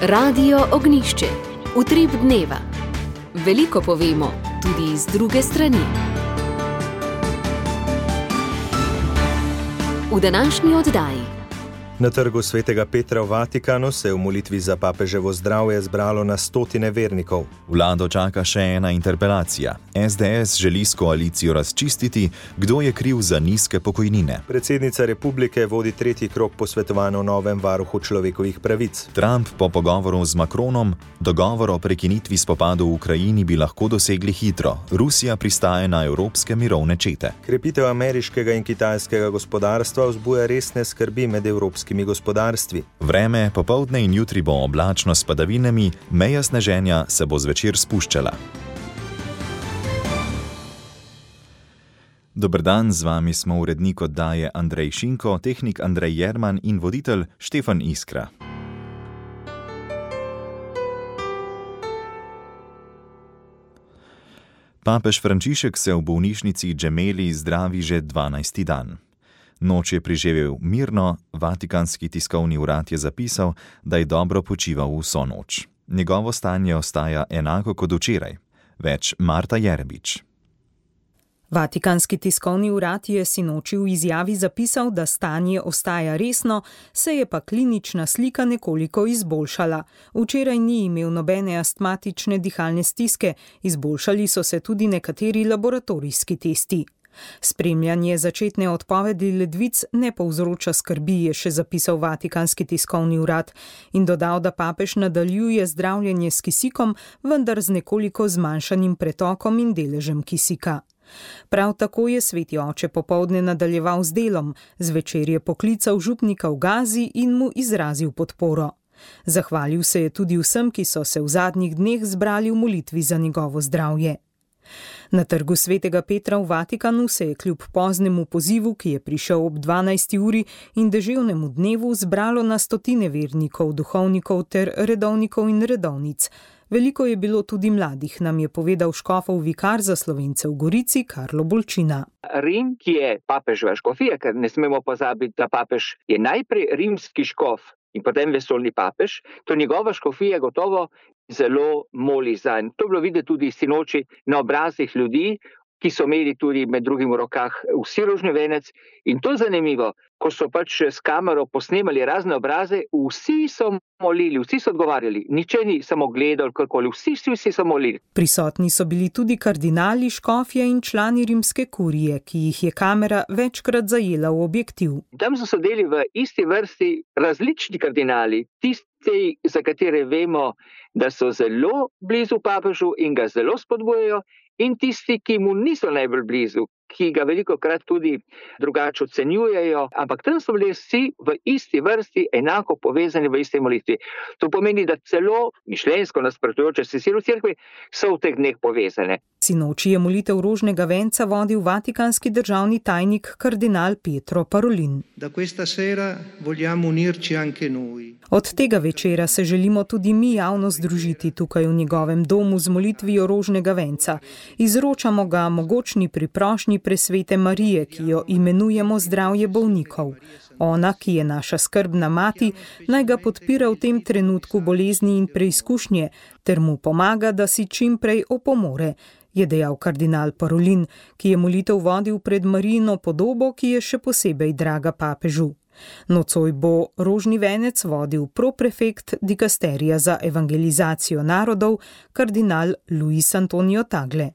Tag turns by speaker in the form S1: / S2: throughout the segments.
S1: Radio Ognjišče. Utrip dneva. Veliko povemo, tudi iz druge strani. V današnji oddaji.
S2: Na trgu svetega Petra v Vatikanu se je v molitvi za papeževo zdravje zbralo na stotine vernikov.
S3: Vlado čaka še ena interpelacija. SDS želi s koalicijo razčistiti, kdo je kriv za nizke pokojnine.
S2: Predsednica republike vodi tretji krog posvetovanj o novem varuhu človekovih pravic.
S3: Trump po pogovoru z Macronom: dogovor o prekinitvi spopadov v Ukrajini bi lahko dosegli hitro. Rusija pristaja na evropske mirovne čete.
S2: Krepitev ameriškega in kitajskega gospodarstva vzbuja resne skrbi med evropskimi gospodarstvi.
S3: Vreme, popoldne in jutri bo oblačno s padavinami, meja sneženja se bo zvečer spuščala. Dober dan, z vami smo urednik oddaje Andrej Šinko, tehnik Andrej Jerman in voditelj Štefan Iskra. Papež Frančišek se v bolnišnici Gemelli zdravi že 12. dan. Noč je preživel mirno, Vatikanski tiskovni urad je zapisal, da je dobro počival vso noč. Njegovo stanje ostaja enako kot včeraj. Več Marta Jerebič.
S4: Vatikanski tiskovni urad je sinoči v izjavi zapisal, da stanje ostaja resno, se je pa klinična slika nekoliko izboljšala. Včeraj ni imel nobene astmatične dihalne stiske, izboljšali so se tudi nekateri laboratorijski testi. Spremljanje začetne odpovedi ledvic ne povzroča skrbi, je še zapisal Vatikanski tiskovni urad in dodal, da papež nadaljuje zdravljenje s kisikom, vendar z nekoliko zmanjšanim pretokom in deležem kisika. Prav tako je sveti oče popoldne nadaljeval z delom, zvečer je poklical župnika v Gazi in mu izrazil podporo. Zahvalil se je tudi vsem, ki so se v zadnjih dneh zbrali v molitvi za njegovo zdravje. Na trgu svetega Petra v Vatikanu se je kljub poznemu pozivu, ki je prišel ob 12. uri in deževnemu dnevu, zbralo na stotine vernikov, duhovnikov ter redovnikov in redovnic. Veliko je bilo tudi mladih, nam je povedal škofov vikar za Slovence v Gorici Karlo Bolčina.
S5: Rim, ki je papeževa škofija, ker ne smemo pozabiti, da papež je najprej rimski škof in potem vesoljni papež, to njegova škofija gotovo zelo moli zanj. To je bilo videti tudi sinoči na obrazih ljudi, ki so imeli tudi med drugim v rokah vsi rožni venec. In to je zanimivo, ko so pač s kamero posnemali razne obraze, vsi so molili, vsi so odgovarjali, niče ni samo gledal, karkoli, vsi so molili.
S4: Prisotni so bili tudi kardinali, škofje in člani rimske kurije, ki jih je kamera večkrat zajela v objektiv.
S5: Tam so sedeli v isti vrsti različni kardinali, tisti, za katere vemo, da so zelo blizu papežu in ga zelo spodbujajo, in tisti, ki mu niso najbolj blizu, ki ga velikokrat tudi drugače ocenjujejo, ampak tam so bili vsi v isti vrsti, enako povezani v isti molitvi. To pomeni, da celo mišljenjsko nasprotujoče se sile v cerkvi so v teh dneh povezane.
S4: Sinoči je molitev rožnega venca vodil vatikanski državni tajnik kardinal Pietro Parolin. Od tega večera se želimo tudi mi javno združiti tukaj v njegovem domu z molitvijo rožnega venca. Izročamo ga mogočni priprošnji presvete Marije, ki jo imenujemo zdravje bolnikov. Ona, ki je naša skrbna mati, naj ga podpira v tem trenutku bolezni in preizkušnje, ter mu pomaga, da si čim prej opomore, je dejal kardinal Parolin, ki je molitev vodil pred Marijino podobo, ki je še posebej draga papežu. Nocoj bo rožni venec vodil proprefekt dikasterija za evangelizacijo narodov, kardinal Luis Antonio Tagle.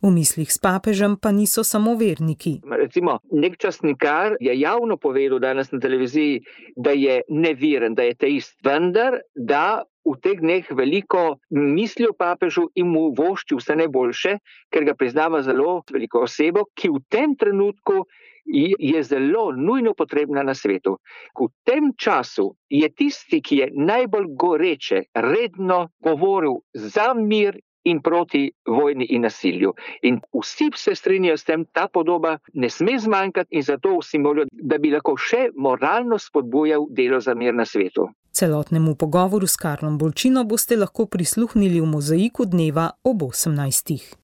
S4: V mislih s papežem pa niso samo verniki.
S5: Recimo, nek časnikar je javno povedal danes na televiziji, da je neviren, da je teist, vendar da v teh dneh veliko misli o papežu in mu vošči vse najboljše, ker ga priznava zelo veliko osebo, ki v tem trenutku je zelo nujno potrebna na svetu. V tem času je tisti, ki je najbolj goreče, redno govoril za mir in proti vojni in nasilju. In vsi se strinjajo s tem, ta podoba ne sme zmanjkati in zato vsi molijo, da bi lahko še moralno spodbujal delo za mir na svetu.
S4: Celotnemu pogovoru s Karlom Bolčino boste lahko prisluhnili v Mozaiku dneva ob 18.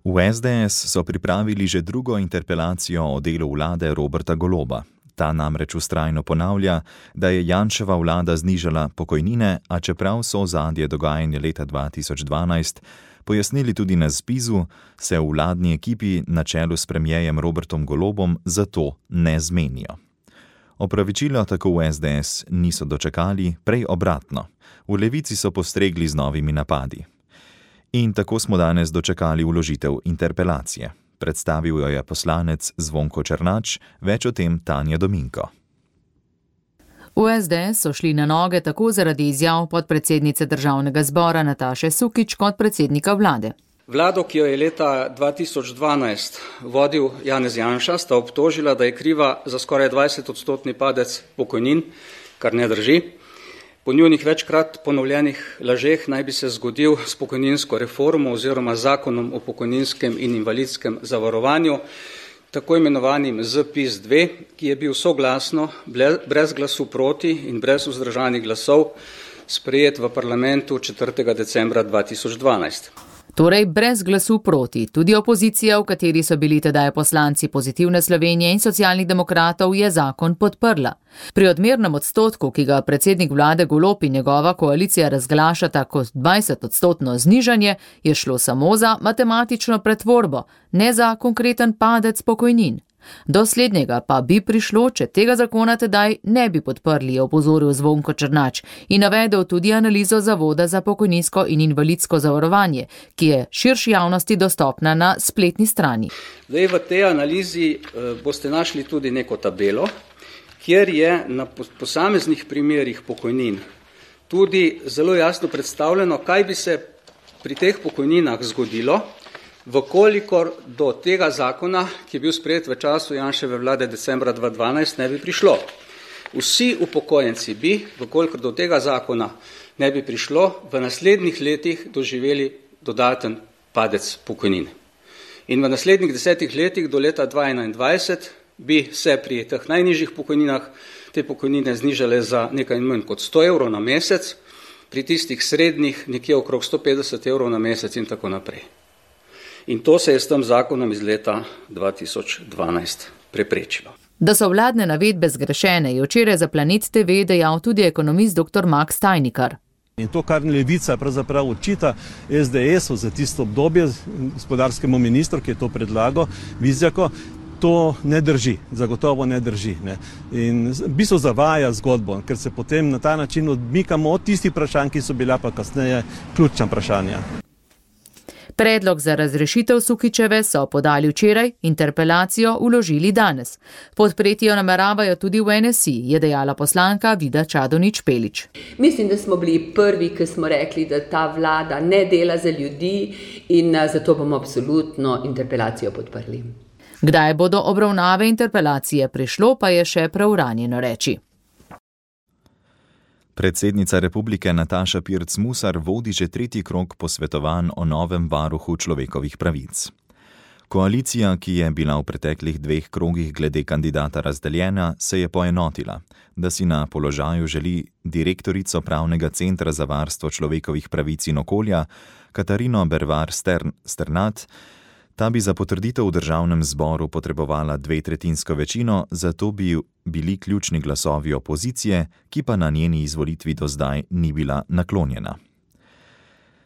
S3: V SDS so pripravili že drugo interpelacijo o delu vlade Roberta Goloba. Ta namreč vztrajno ponavlja, da je Janševa vlada znižala pokojnine, a čeprav so ozadje dogajanja leta 2012 pojasnili tudi na ZPIZ-u, se v vladni ekipi na čelu s premierjem Robertom Golobom zato ne zmenijo. Opravičilo tako v SDS niso dočakali, prej obratno. V Levici so postregli z novimi napadi. In tako smo danes dočakali vložitev interpelacije. Predstavil jo je poslanec Zvonko Černač, več o tem Tanja Dominko.
S6: V SDS so šli na noge tako zaradi izjav podpredsednice državnega zbora Nataše Sukič kot predsednika vlade.
S7: Vlado, ki jo je leta 2012 vodil Janez Janša, sta obtožila, da je kriva za skoraj 20% padec pokojnin, kar ne drži. Po njunih večkrat ponovljenih lažeh naj bi se zgodil s pokojninsko reformo oziroma zakonom o pokojninskem in invalidskem zavarovanju, tako imenovanim ZPIZ-2, ki je bil soglasno, brez glasu proti in brez vzdržanih glasov, sprejet v parlamentu 4. decembra 2012.
S6: Torej brez glasu proti. Tudi opozicija, v kateri so bili tedaj poslanci Pozitivne Slovenije in Socialnih demokratov, je zakon podprla. Pri odmernem odstotku, ki ga predsednik vlade Golob in njegova koalicija razglašata kot 20% znižanje, je šlo samo za matematično pretvorbo, ne za konkreten padec pokojnin. Do slednjega pa bi prišlo, če tega zakona tedaj ne bi podprli, je opozoril Zvonko Černač in navedel tudi analizo Zavoda za pokojninsko in invalidsko zavarovanje, ki je širši javnosti dostopna na spletni strani.
S7: Zdaj v tej analizi boste našli tudi neko tabelo, kjer je na posameznih primerih pokojnin tudi zelo jasno predstavljeno, kaj bi se pri teh pokojninah zgodilo, vkolikor do tega zakona, ki je bil sprejet v času Janševe vlade decembra 2012, ne bi prišlo. Vsi upokojenci bi, vkolikor do tega zakona ne bi prišlo, v naslednjih letih doživeli dodaten padec pokojnin. In v naslednjih 10 letih do leta 2021 bi se pri teh najnižjih pokojninah te pokojnine znižale za nekaj manj kot 100 evrov na mesec, pri tistih srednjih nekje okrog 150 evrov na mesec in tako naprej. In to se je s tem zakonom iz leta 2012 preprečilo.
S6: Da so vladne navedbe zgrešene, je včeraj za Planet TV dejal tudi ekonomist dr. Max Tajnikar.
S8: In to, kar Levica pravzaprav očita SDS-u za tisto obdobje, gospodarskemu ministru, ki je to predlagal, Vizjako, to ne drži, zagotovo ne drži. Ne. In v bistvu zavaja zgodbo, ker se potem na ta način odmikamo od tistih vprašanj, ki so bila pa kasneje ključna vprašanja.
S6: Predlog za razrešitev Sukičeve so podali včeraj, interpelacijo vložili danes. Podpreti jo nameravajo tudi v NSI, je dejala poslanka Vida Čadonič Špelič.
S9: Mislim, da smo bili prvi, ki smo rekli, da ta vlada ne dela za ljudi in zato bomo absolutno interpelacijo podprli.
S6: Kdaj bodo obravnave interpelacije prišlo, pa je še preuranjeno reči.
S3: Predsednica republike Nataša Pirc Musar vodi že 3. krog posvetovanj o novem varuhu človekovih pravic. Koalicija, ki je bila v preteklih 2 krogih glede kandidata razdeljena, se je poenotila, da si na položaju želi direktorico Pravnega centra za varstvo človekovih pravic in okolja Katarino Bervar Sternat. Ta bi za potrditev v državnem zboru potrebovala 2/3 večino, zato bi bili ključni glasovi opozicije, ki pa na njeni izvolitvi do zdaj ni bila naklonjena.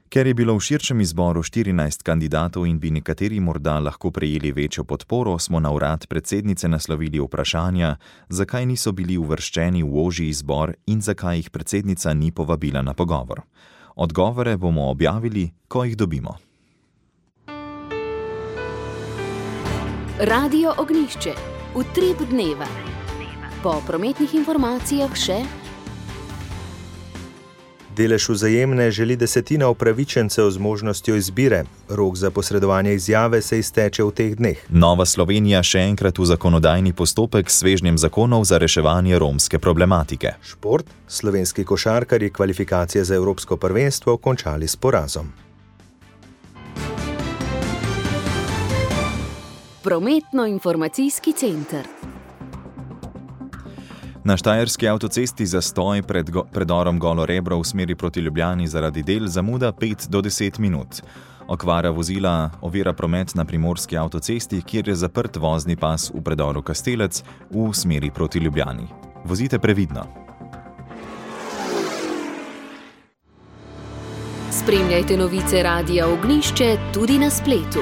S3: Ker je bilo v širšem izboru 14 kandidatov in bi nekateri morda lahko prejeli večjo podporo, smo na urad predsednice naslovili vprašanja, zakaj niso bili uvrščeni v ožji izbor in zakaj jih predsednica ni povabila na pogovor. Odgovore bomo objavili, ko jih dobimo.
S1: Radio Ognjišče. Utrip dneva. Po prometnih informacijah še.
S2: Delež Vzajemne želi 1/10 upravičencev z možnostjo izbire. Rok za posredovanje izjave se izteče v teh dneh.
S3: Nova Slovenija še enkrat v zakonodajni postopek s svežnjem zakonov za reševanje romske problematike.
S2: Šport. Slovenski košarkarji kvalifikacije za Evropsko prvenstvo končali s porazom.
S1: Prometno-informacijski center.
S3: Na štajerski avtocesti zastoj predorom Golo Rebro v smeri proti Ljubljani zaradi del zamuda 5 do 10 minut. Okvara vozila ovira promet na primorski avtocesti, kjer je zaprt vozni pas v predoru Kastelec v smeri proti Ljubljani. Vozite previdno.
S1: Spremljajte novice Radia Ognjišče tudi na spletu.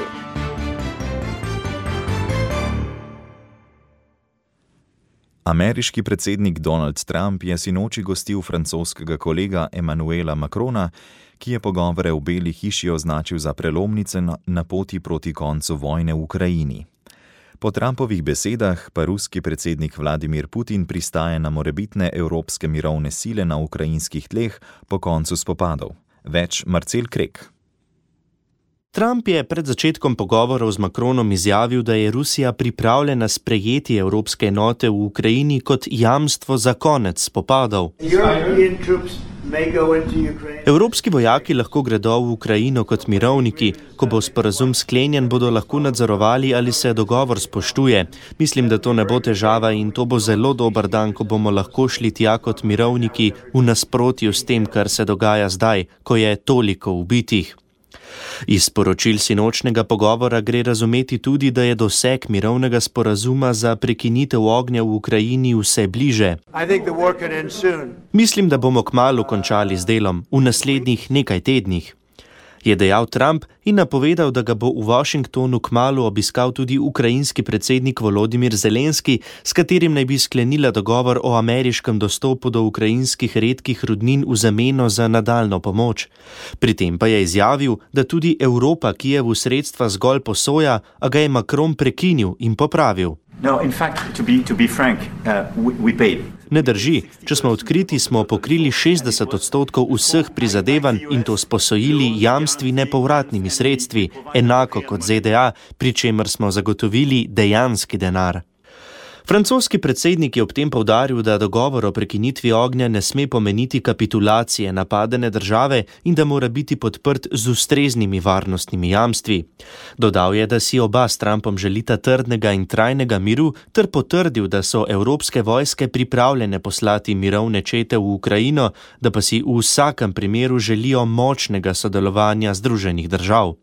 S3: Ameriški predsednik Donald Trump je sinoči gostil francoskega kolega Emmanuela Macrona, ki je pogovore v Beli hiši označil za prelomnice na poti proti koncu vojne v Ukrajini. Po Trumpovih besedah pa ruski predsednik Vladimir Putin pristaja na morebitne evropske mirovne sile na ukrajinskih tleh po koncu spopadov. Več Marcel Krek.
S10: Trump je pred začetkom pogovorov z Macronom izjavil, da je Rusija pripravljena sprejeti evropske enote v Ukrajini kot jamstvo za konec spopadov. Evropski vojaki lahko gredo v Ukrajino kot mirovniki. Ko bo sporazum sklenjen, bodo lahko nadzorovali, ali se dogovor spoštuje. Mislim, da to ne bo težava in to bo zelo dober dan, ko bomo lahko šli tja kot mirovniki v nasprotju s tem, kar se dogaja zdaj, ko je toliko ubitih. Iz sporočil sinočnega pogovora gre razumeti tudi, da je doseg mirovnega sporazuma za prekinitev ognja v Ukrajini vse bliže. Mislim, da bomo kmalu končali z delom, v naslednjih nekaj tednih, je dejal Trump in napovedal, da ga bo v Washingtonu kmalu obiskal tudi ukrajinski predsednik Volodimir Zelenski, s katerim naj bi sklenila dogovor o ameriškem dostopu do ukrajinskih redkih rudnin v zameno za nadaljno pomoč. Pri tem pa je izjavil, da tudi Evropa Kijevu sredstva zgolj posoja, a ga je Macron prekinil in popravil.
S11: No, in fact, to be frank, we paid.
S10: Ne drži, če smo odkriti, smo pokrili 60% vseh prizadevanj in to s posojili, jamstvi, nepovratnimi sredstvi, enako kot ZDA, pri čemer smo zagotovili dejanski denar. Francoski predsednik je ob tem poudaril, da dogovor o prekinitvi ognja ne sme pomeniti kapitulacije napadene države in da mora biti podprt z ustreznimi varnostnimi jamstvi. Dodal je, da si oba s Trumpom želita trdnega in trajnega miru, ter potrdil, da so evropske vojske pripravljene poslati mirovne čete v Ukrajino, da pa si v vsakem primeru želijo močnega sodelovanja Združenih držav.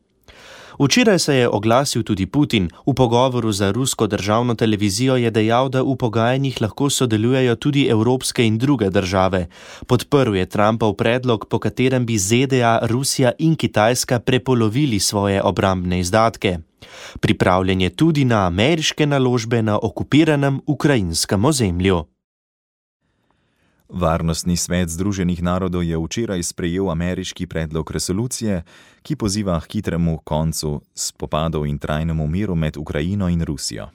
S10: Včeraj se je oglasil tudi Putin. V pogovoru za rusko državno televizijo je dejal, da v pogajanjih lahko sodelujejo tudi evropske in druge države. Podprl je Trumpov predlog, po katerem bi ZDA, Rusija in Kitajska prepolovili svoje obrambne izdatke. Pripravljen je tudi na ameriške naložbe na okupiranem ukrajinskem ozemlju.
S3: Varnostni svet Združenih narodov je včeraj sprejel ameriški predlog resolucije, ki poziva k hitremu koncu spopadov in trajnemu miru med Ukrajino in Rusijo.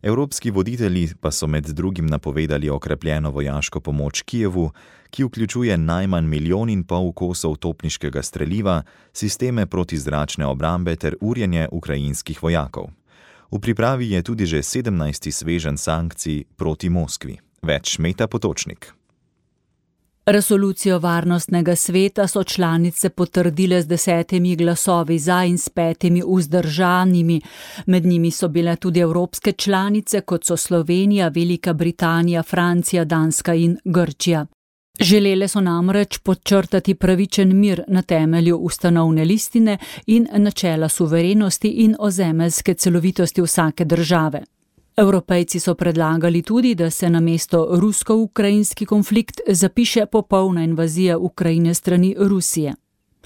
S3: Evropski voditelji pa so med drugim napovedali okrepljeno vojaško pomoč Kijevu, ki vključuje najmanj 1,5 milijona kosov topniškega streliva, sisteme protizračne obrambe ter urjenje ukrajinskih vojakov. V pripravi je tudi že 17. sveženj sankcij proti Moskvi. Več Meta Potočnik.
S12: Resolucijo Varnostnega sveta so članice potrdile z 10 glasovi za in s 5 vzdržanimi. Med njimi so bile tudi evropske članice, kot so Slovenija, Velika Britanija, Francija, Danska in Grčija. Želele so namreč podčrtati pravičen mir na temelju ustanovne listine in načela suverenosti in ozemeljske celovitosti vsake države. Evropejci so predlagali tudi, da se namesto rusko-ukrajinski konflikt zapiše popolna invazija Ukrajine strani Rusije.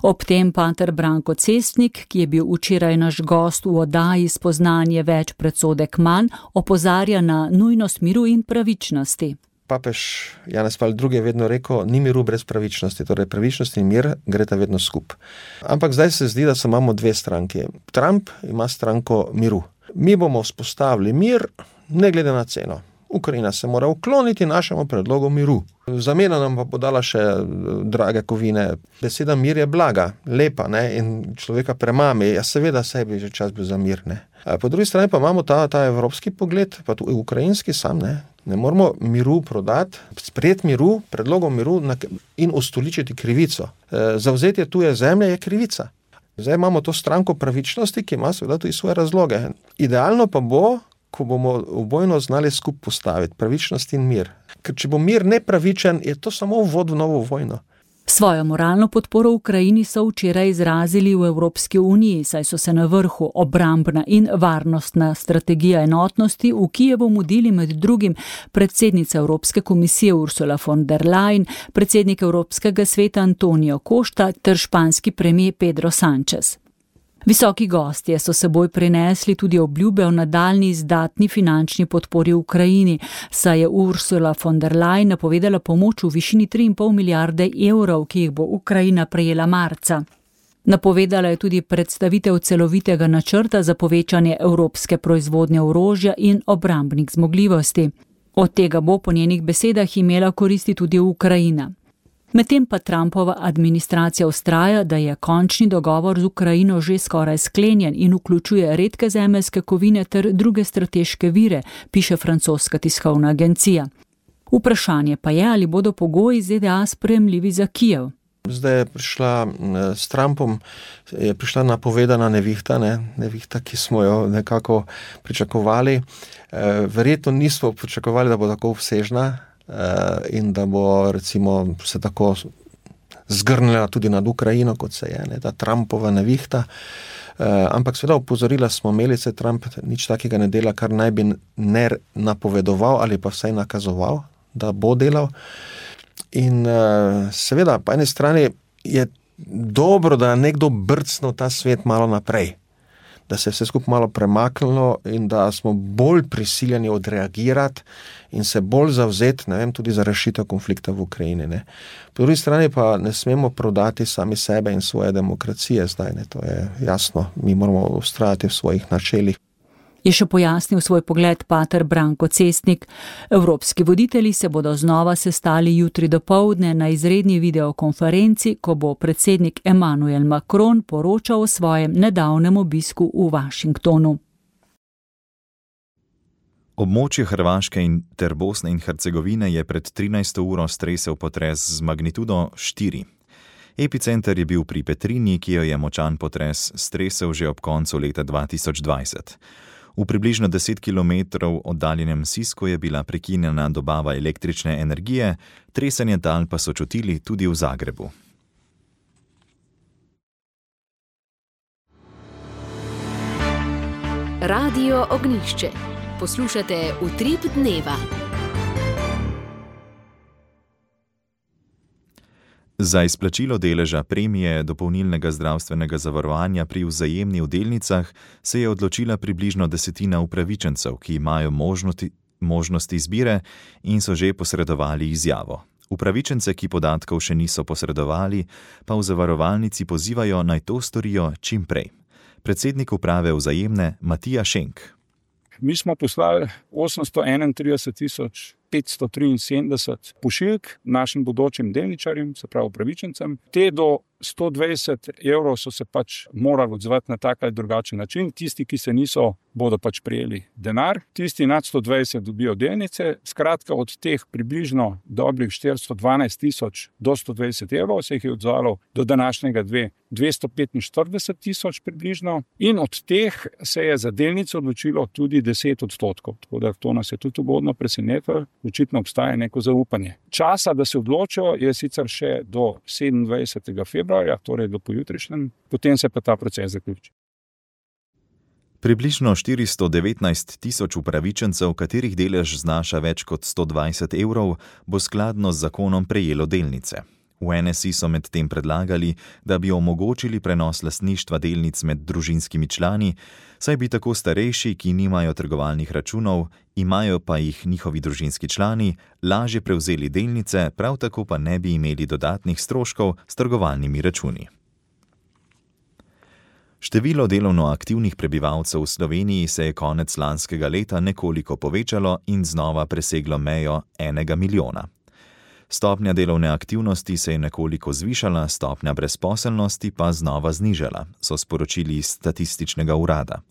S12: Ob tem pater Branko Cestnik, ki je bil včeraj naš gost v oddaji Spoznanje več predsodek manj, opozarja na nujnost miru in pravičnosti.
S13: Papež Janez Pavel II je vedno rekel, ni miru brez pravičnosti, torej pravičnost in mir greta vedno skup. Ampak zdaj se zdi, da imamo dve stranki. Trump ima stranko miru. Mi bomo vzpostavili mir, ne glede na ceno. Ukrajina se mora ukloniti našemu predlogu miru. Zamena nam pa podala še drage kovine. Beseda mir je blaga, lepa, ne? In človeka premami. Ja, seveda sebi že čas bil za mir. Ne? Po drugi strani pa imamo ta evropski pogled, pa tudi ukrajinski sam. Ne moramo miru prodati, sprejeti miru, predlogom miru in ustoličiti krivico. Zavzetje tuje zemlje je krivica. Zdaj imamo to stranko pravičnosti, ki ima seveda tudi svoje razloge. Idealno pa bo, ko bomo obojno znali skupaj postaviti pravičnost in mir. Ker če bo mir nepravičen, je to samo uvod v novo vojno.
S12: Svojo moralno podporo Ukrajini so včeraj izrazili v Evropski uniji, saj so se na vrhu obrambna in varnostna strategija enotnosti v Kijevu mudili med drugim predsednica Evropske komisije Ursula von der Leyen, predsednik Evropskega sveta Antonio Costa ter španski premijer Pedro Sánchez. Visoki gostje so seboj prinesli tudi obljube o nadaljnji izdatni finančni podpori Ukrajini, saj je Ursula von der Leyen napovedala pomoč v višini 3,5 milijarde evrov, ki jih bo Ukrajina prejela marca. Napovedala je tudi predstavitev celovitega načrta za povečanje evropske proizvodnje orožja in obrambnih zmogljivosti. Od tega bo po njenih besedah imela koristi tudi Ukrajina. Medtem pa Trumpova administracija vztraja, da je končni dogovor z Ukrajino že skoraj sklenjen in vključuje redke zemeljske kovine ter druge strateške vire, piše francoska tiskovna agencija. Vprašanje pa je, ali bodo pogoji ZDA sprejemljivi za Kijev.
S13: Zdaj je prišla s Trumpom, je prišla napovedana nevihta, nevihta, ki smo jo nekako pričakovali. Verjetno nismo pričakovali, da bo tako obsežna, in da bo recimo se tako zgrnila tudi nad Ukrajino, kot se je, ta Trumpova nevihta. Ampak seveda opozorila smo imeli, se Trump nič takega ne dela, kar naj bi ne napovedoval ali pa vsaj nakazoval, da bo delal. In seveda, po eni strani je dobro, da je nekdo brcnil ta svet malo naprej, da se je vse skupaj malo premaknilo in da smo bolj prisiljeni odreagirati in se bolj zavzeti, tudi za rešitev konflikta v Ukrajini. Po drugi strani pa ne smemo prodati sami sebe in svoje demokracije zdaj, to je jasno, mi moramo vztrajati v svojih načelih.
S12: Je še pojasnil svoj pogled pater Branko Cestnik. Evropski voditelji se bodo znova sestali jutri dopoldne na izredni videokonferenci, ko bo predsednik Emmanuel Macron poročal o svojem nedavnem obisku v Washingtonu.
S3: Območje Hrvaške ter Bosne in Hercegovine je pred 13. uro stresel potres z magnitudo 4. Epicenter je bil pri Petrinji, ki jo je močan potres stresel že ob koncu leta 2020. V približno 10 km oddaljenem Sisku je bila prekinjena dobava električne energije, tresenje tal pa so čutili tudi v Zagrebu.
S1: Radio Ognjišče. Poslušate Utrip dneva.
S3: Za izplačilo deleža premije dopolnilnega zdravstvenega zavarovanja pri Vzajemni v delnicah se je odločila približno 10% upravičencev, ki imajo možnosti izbire in so že posredovali izjavo. Upravičence, ki podatkov še niso posredovali, pa v zavarovalnici pozivajo, naj to storijo čim prej. Predsednik uprave Vzajemne Matija Šenk.
S14: Mi smo poslali 831.573 pošiljk našim bodočim delničarjem, se pravi upravičencem. Te do 120 evrov so se pač morali odzvati na tak ali drugačen način. Tisti, ki se niso, bodo pač prijeli denar. Tisti nad 120 dobijo delnice. Skratka, od teh približno dobrih 412.000 do 120 evrov se jih je odzvalo do današnjega 245.000 približno. In od teh se je za delnice odločilo tudi 10%. Tako da to nas je tudi ugodno presenetilo. Očitno obstaja neko zaupanje. Časa, da se odločijo, je sicer še do 27. februarja, torej do pojutrišnjem, potem se pa ta proces zaključi.
S3: Približno 419.000 upravičencev, katerih delež znaša več kot 120 evrov, bo skladno z zakonom prejelo delnice. V NSI so medtem predlagali, da bi omogočili prenos lastništva delnic med družinskimi člani, saj bi tako starejši, ki nimajo trgovalnih računov, imajo pa jih njihovi družinski člani, lažje prevzeli delnice, prav tako pa ne bi imeli dodatnih stroškov s trgovalnimi računi. Število delovno aktivnih prebivalcev v Sloveniji se je konec lanskega leta nekoliko povečalo in znova preseglo mejo 1 milijona. Stopnja delovne aktivnosti se je nekoliko zvišala, stopnja brezposelnosti pa znova znižala, so sporočili iz Statističnega urada.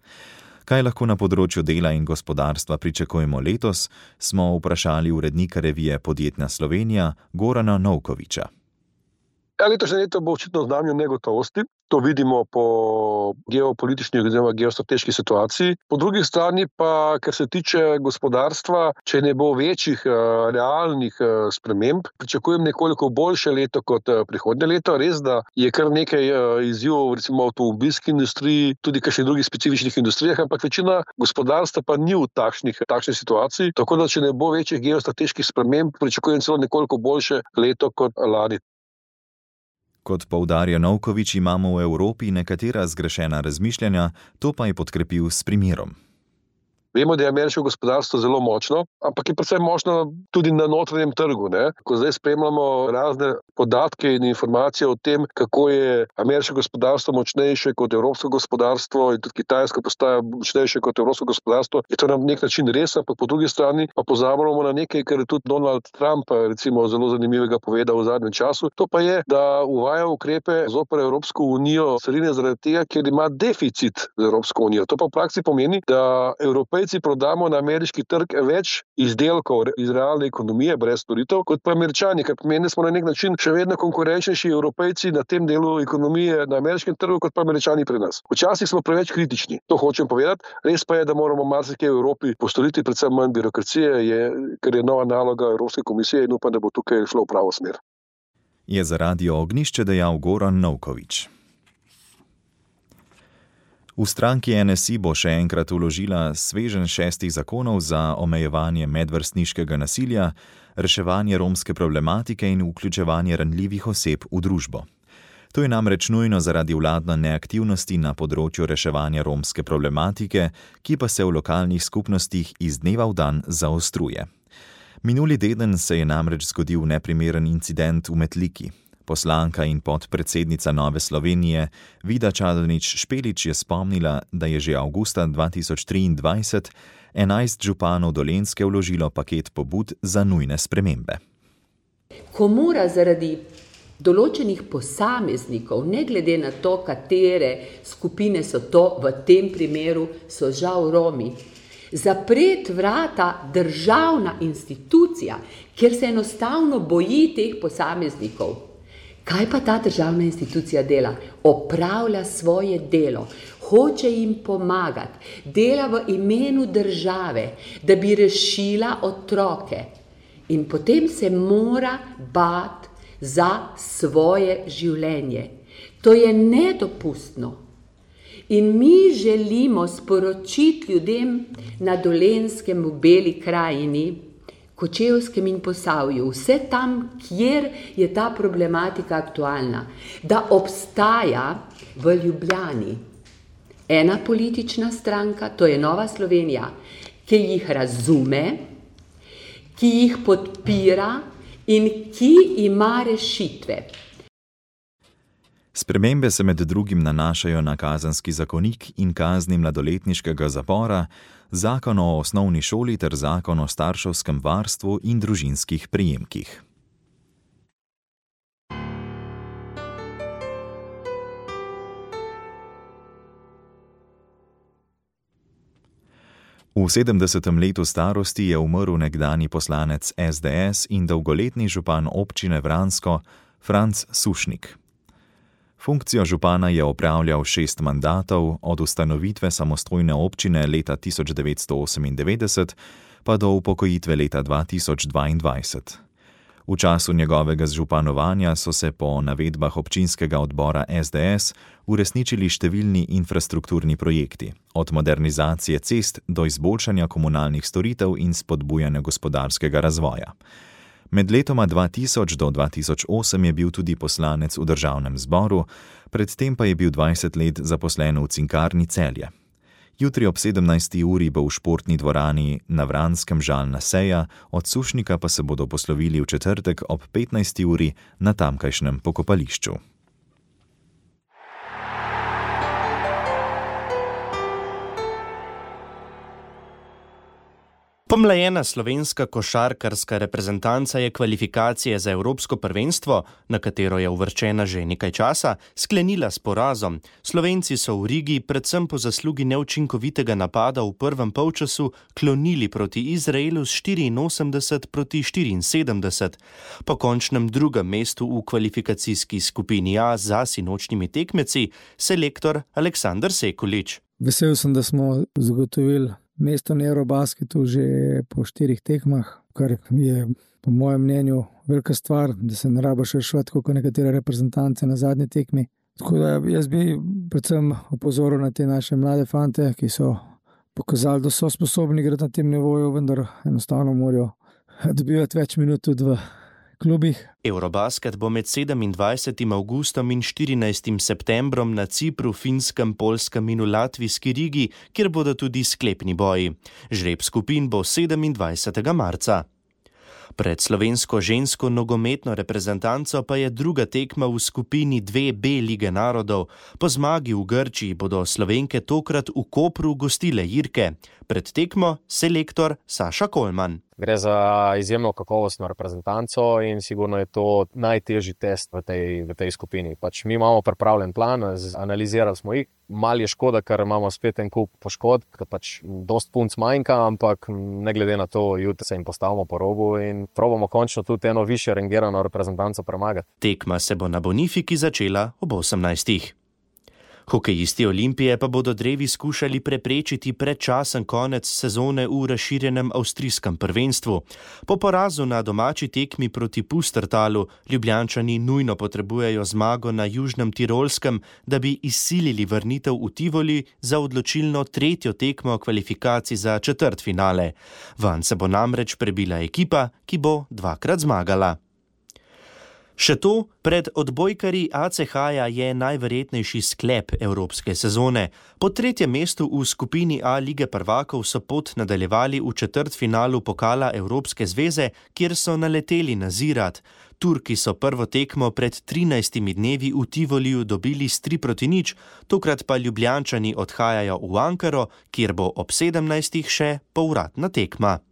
S3: Kaj lahko na področju dela in gospodarstva pričakujemo letos, smo vprašali urednika revije Podjetna Slovenija Gorana Novkoviča.
S15: Letošnje leto bo očitno v znamenju negotovosti. To vidimo po geopolitični oziroma geostrateški situaciji. Po drugi strani pa, ker se tiče gospodarstva, če ne bo večjih realnih sprememb, pričakujem nekoliko boljše leto kot prihodnje leto. Res, da je kar nekaj izzivov, recimo v avtomobilski industriji, tudi kakšnih drugih specifičnih industrijah, ampak večina gospodarstva pa ni v takšni situaciji. Tako da, če ne bo večjih geostrateških sprememb, pričakujem celo nekoliko boljše leto kot lani.
S3: Kot poudarja Novković, imamo v Evropi nekatera zgrešena razmišljanja, to pa je podkrepil s primerom.
S15: Vemo, da je ameriško gospodarstvo zelo močno, ampak je predvsem močno tudi na notranjem trgu. Ko zdaj spremljamo razne podatke in informacije o tem, kako je ameriško gospodarstvo močnejše kot evropsko gospodarstvo in tudi kitajsko postaja močnejše kot evropsko gospodarstvo, je to na nek način res, ampak po drugi strani pa pozabljamo na nekaj, kar je tudi Donald Trump recimo zelo zanimivega povedal v zadnjem času. To pa je, da uvaja ukrepe zoper Evropsko unijo carine zaradi tega, ker ima deficit z Evropsko unijo. To pa v praksi pomeni, da Evropejci prodamo na ameriški trg več izdelkov iz realne ekonomije brez storitev, kot pa Američani, kar pomeni, da smo na nek način še vedno konkurenčnejši Evropejci na tem delu ekonomije na ameriškem trgu, kot pa Američani pri nas. Včasih smo preveč kritični, to hočem povedati. Res pa je, da moramo marsikaj v Evropi postoriti, predvsem manj birokracije, ker je nova naloga Evropske komisije in upam, da bo tukaj šlo v pravo smer.
S3: Je za Radio Ognjišče dejal Goran Novković. V stranki NSI bo še enkrat vložila sveženj 6 zakonov za omejevanje medvrstniškega nasilja, reševanje romske problematike in vključevanje ranljivih oseb v družbo. To je namreč nujno zaradi vladne neaktivnosti na področju reševanja romske problematike, ki pa se v lokalnih skupnostih iz dneva v dan zaostruje. Minuli teden se je namreč zgodil neprimeren incident v Metliki. Poslanka in podpredsednica Nove Slovenije Vida Čadonič Špelič je spomnila, da je že avgusta 2023 11 županov Dolenjske vložilo paket pobud za nujne spremembe.
S9: Ko mora zaradi določenih posameznikov, ne glede na to, katere skupine so to, v tem primeru so žal Romi, zapreti vrata državna institucija, ker se enostavno boji teh posameznikov. Kaj pa ta državna institucija dela? Opravlja svoje delo, hoče jim pomagati, dela v imenu države, da bi rešila otroke. In potem se mora bati za svoje življenje. To je nedopustno. In mi želimo sporočiti ljudem na Dolenjskem, v Beli krajini, Kočevskem in Posavju, vse tam, kjer je ta problematika aktualna, da obstaja v Ljubljani ena politična stranka, to je Nova Slovenija, ki jih razume, ki jih podpira in ki ima rešitve.
S3: Spremembe se med drugim nanašajo na kazenski zakonik in kazni mladoletniškega zapora, zakon o osnovni šoli ter zakon o starševskem varstvu in družinskih prejemkih. V 70. letu starosti je umrl nekdanji poslanec SDS in dolgoletni župan občine Vransko Franc Sušnik. Funkcijo župana je opravljal 6 mandatov, od ustanovitve samostojne občine leta 1998 pa do upokojitve leta 2022. V času njegovega županovanja so se po navedbah občinskega odbora SDS uresničili številni infrastrukturni projekti, od modernizacije cest do izboljšanja komunalnih storitev in spodbujanja gospodarskega razvoja. Med letoma 2000 do 2008 je bil tudi poslanec v državnem zboru, predtem pa je bil 20 let zaposlen v Cinkarni Celje. Jutri ob 17. uri bo v športni dvorani na Vranskem žalna seja, od Sušnika pa se bodo poslovili v četrtek ob 15. uri na tamkajšnjem pokopališču.
S10: Pomlajena slovenska košarkarska reprezentanca je kvalifikacije za Evropsko prvenstvo, na katero je uvrščena že nekaj časa, sklenila s porazom. Slovenci so v Rigi, predvsem po zaslugi neučinkovitega napada v prvem polčasu, klonili proti Izraelu s 84-74. Po končnem drugem mestu v kvalifikacijski skupini A za sinočnjimi tekmeci, selektor Aleksandar Sekulič.
S16: Vesel sem, da smo zagotovili mesto na Eurobasketu že po 4 tekmah, kar je po mojem mnenju velika stvar, da se ne rabiš reševati kot nekatere reprezentance na zadnji tekmi. Tako da jaz bi predvsem opozoril na te naše mlade fante, ki so pokazali, da so sposobni igrati na tem nivoju, vendar enostavno morajo dobivati več minut tudi v klubih.
S10: Eurobasket bo med 27. avgustom in 14. septembrom na Cipru, Finskem, Poljskem in v Latvijski Rigi, kjer bodo tudi sklepni boji. Žreb skupin bo 27. marca. Pred slovensko žensko nogometno reprezentanco pa je druga tekma v skupini 2B Lige narodov. Po zmagi v Grčiji bodo Slovenke tokrat v Kopru gostile Irke. Pred tekmo selektor Saša Kolman.
S17: Gre za izjemno kakovostno reprezentanco in sigurno je to najtežji test v tej skupini. Mi imamo pripravljen plan, analizirali smo jih. Mal je škoda, ker imamo spet en kup poškodb, ker dost punc manjka, ampak ne glede na to, jutri se jim postavimo po robu in probamo končno tudi eno višje rangirano reprezentanco premagati.
S10: Tekma se bo na Bonifiki začela ob 18. Hokejisti Olimpije pa bodo drevi skušali preprečiti predčasen konec sezone v razširjenem avstrijskem prvenstvu. Po porazu na domači tekmi proti Pustertalu Ljubljančani nujno potrebujejo zmago na Južnem Tirolskem, da bi izsilili vrnitev v Tivoli za odločilno 3. tekmo kvalifikacij za četrtfinale. Vanj se bo namreč prebila ekipa, ki bo 2-krat zmagala. Še to, pred odbojkarji ACH-ja je najverjetnejši sklep evropske sezone. Po 3. mestu v skupini A Lige prvakov so pot nadaljevali v četrtfinalu pokala Evropske zveze, kjer so naleteli na Zirat. Turki so prvo tekmo pred 13 dnevi v Tivoliju dobili s 3-0, tokrat pa Ljubljančani odhajajo v Ankaro, kjer bo ob 17. še povratna tekma.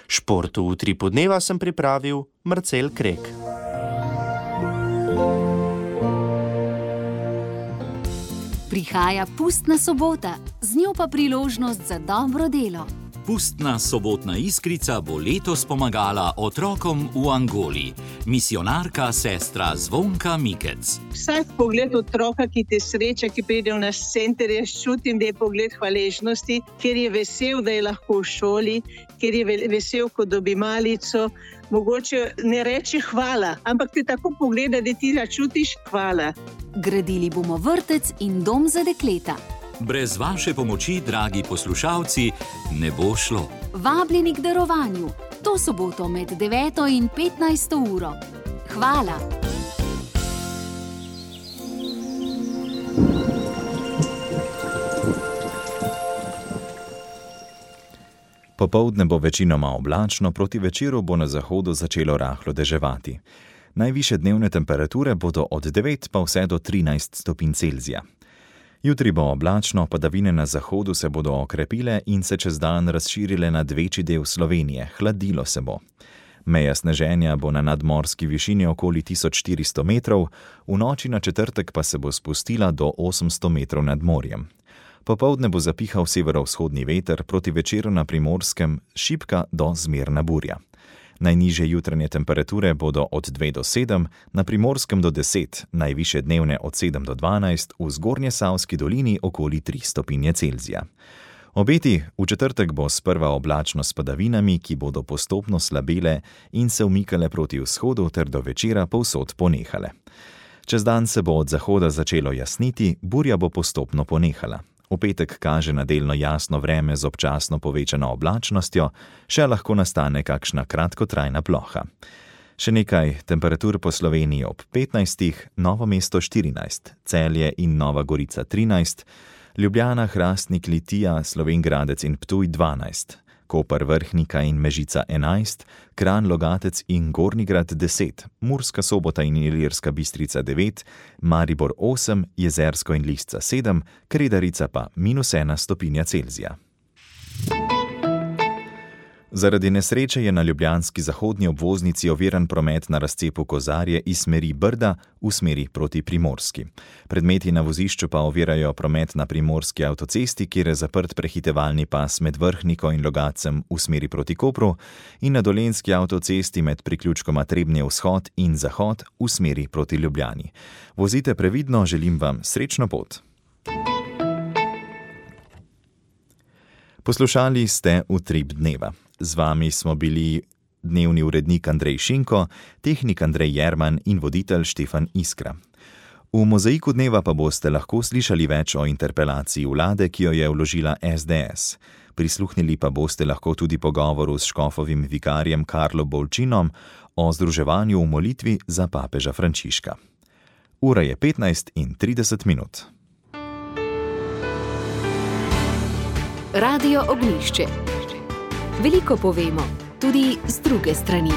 S10: Športu v Utripu dneva sem pripravil Marcel Krek.
S18: Prihaja pustna sobota, z njo pa priložnost za dobro delo.
S19: Pustna sobotna iskrica bo letos pomagala otrokom v Angoli. Misijonarka sestra Zvonka Mikec.
S20: Vsak pogled otroka, ki te sreča, ki pride v naš center, jaz čutim, da je pogled hvaležnosti, ker je vesel, da je lahko v šoli, ker je vesel, ko dobi malico. Mogoče ne reče hvala, ampak te tako pogleda, da ti začutiš hvala.
S18: Gradili bomo vrtec in dom za dekleta.
S19: Brez vaše pomoči, dragi poslušalci, ne bo šlo.
S18: Vabljeni k darovanju. To soboto med 9. in 15. uro. Hvala.
S3: Popoldne bo večinoma oblačno, proti večeru bo na zahodu začelo rahlo deževati. Najvišje dnevne temperature bodo od 9 pa vse do 13 stopinj Celzija. Jutri bo oblačno, padavine na zahodu se bodo okrepile in se čez dan razširile nad večji del Slovenije, hladilo se bo. Meja sneženja bo na nadmorski višini okoli 1400 metrov, v noči na četrtek pa se bo spustila do 800 metrov nad morjem. Popoldne bo zapihal severovzhodni veter, proti večeru na Primorskem šibka do zmerna burja. Najnižje jutranje temperature bodo od 2 do 7, na Primorskem do 10, najvišje dnevne od 7 do 12, v Zgornjesavski dolini okoli 3 stopinje Celzija. Obeti, v četrtek bo sprva oblačno s padavinami, ki bodo postopno slabele in se umikale proti vzhodu ter do večera povsod ponehale. Čez dan se bo od zahoda začelo jasniti, burja bo postopno ponehala. V petek kaže na delno jasno vreme z občasno povečano oblačnostjo, še lahko nastane kakšna kratkotrajna ploha. Še nekaj temperatur po Sloveniji ob 15, Novo mesto 14, Celje in Nova Gorica 13, Ljubljana, Hrastnik, Litija, Slovenj Gradec in Ptuj 12, Koper, Vrhnika in Mežica 11, Kranj, Logatec in Gornjigrad 10, Murska Sobota in Ilirska Bistrica 9, Maribor 8, Jezersko in Lisca 7, Kredarica pa -1 stopinja Celzija. Zaradi nesreče je na ljubljanski zahodni obvoznici oviran promet na razcepu Kozarje iz smeri Brda v smeri proti Primorski. Predmeti na vozišču pa ovirajo promet na primorski avtocesti, kjer je zaprt prehitevalni pas med Vrhniko in Logatcem v smeri proti Kopru in na dolenjski avtocesti med priključkoma Trebnje vzhod in zahod v smeri proti Ljubljani. Vozite previdno, želim vam srečno pot. Poslušali ste Utrip dneva. Z vami smo bili dnevni urednik Andrej Šinko, tehnik Andrej Jerman in voditelj Štefan Iskra. V Mozaiku dneva pa boste lahko slišali več o interpelaciji vlade, ki jo je vložila SDS. Prisluhnili pa boste lahko tudi pogovoru s škofovim vikarjem Karlo Bolčinom o združevanju v molitvi za papeža Frančiška. Ura je 15:30.
S1: Radio Ognjišče. Veliko povemo, tudi z druge strani.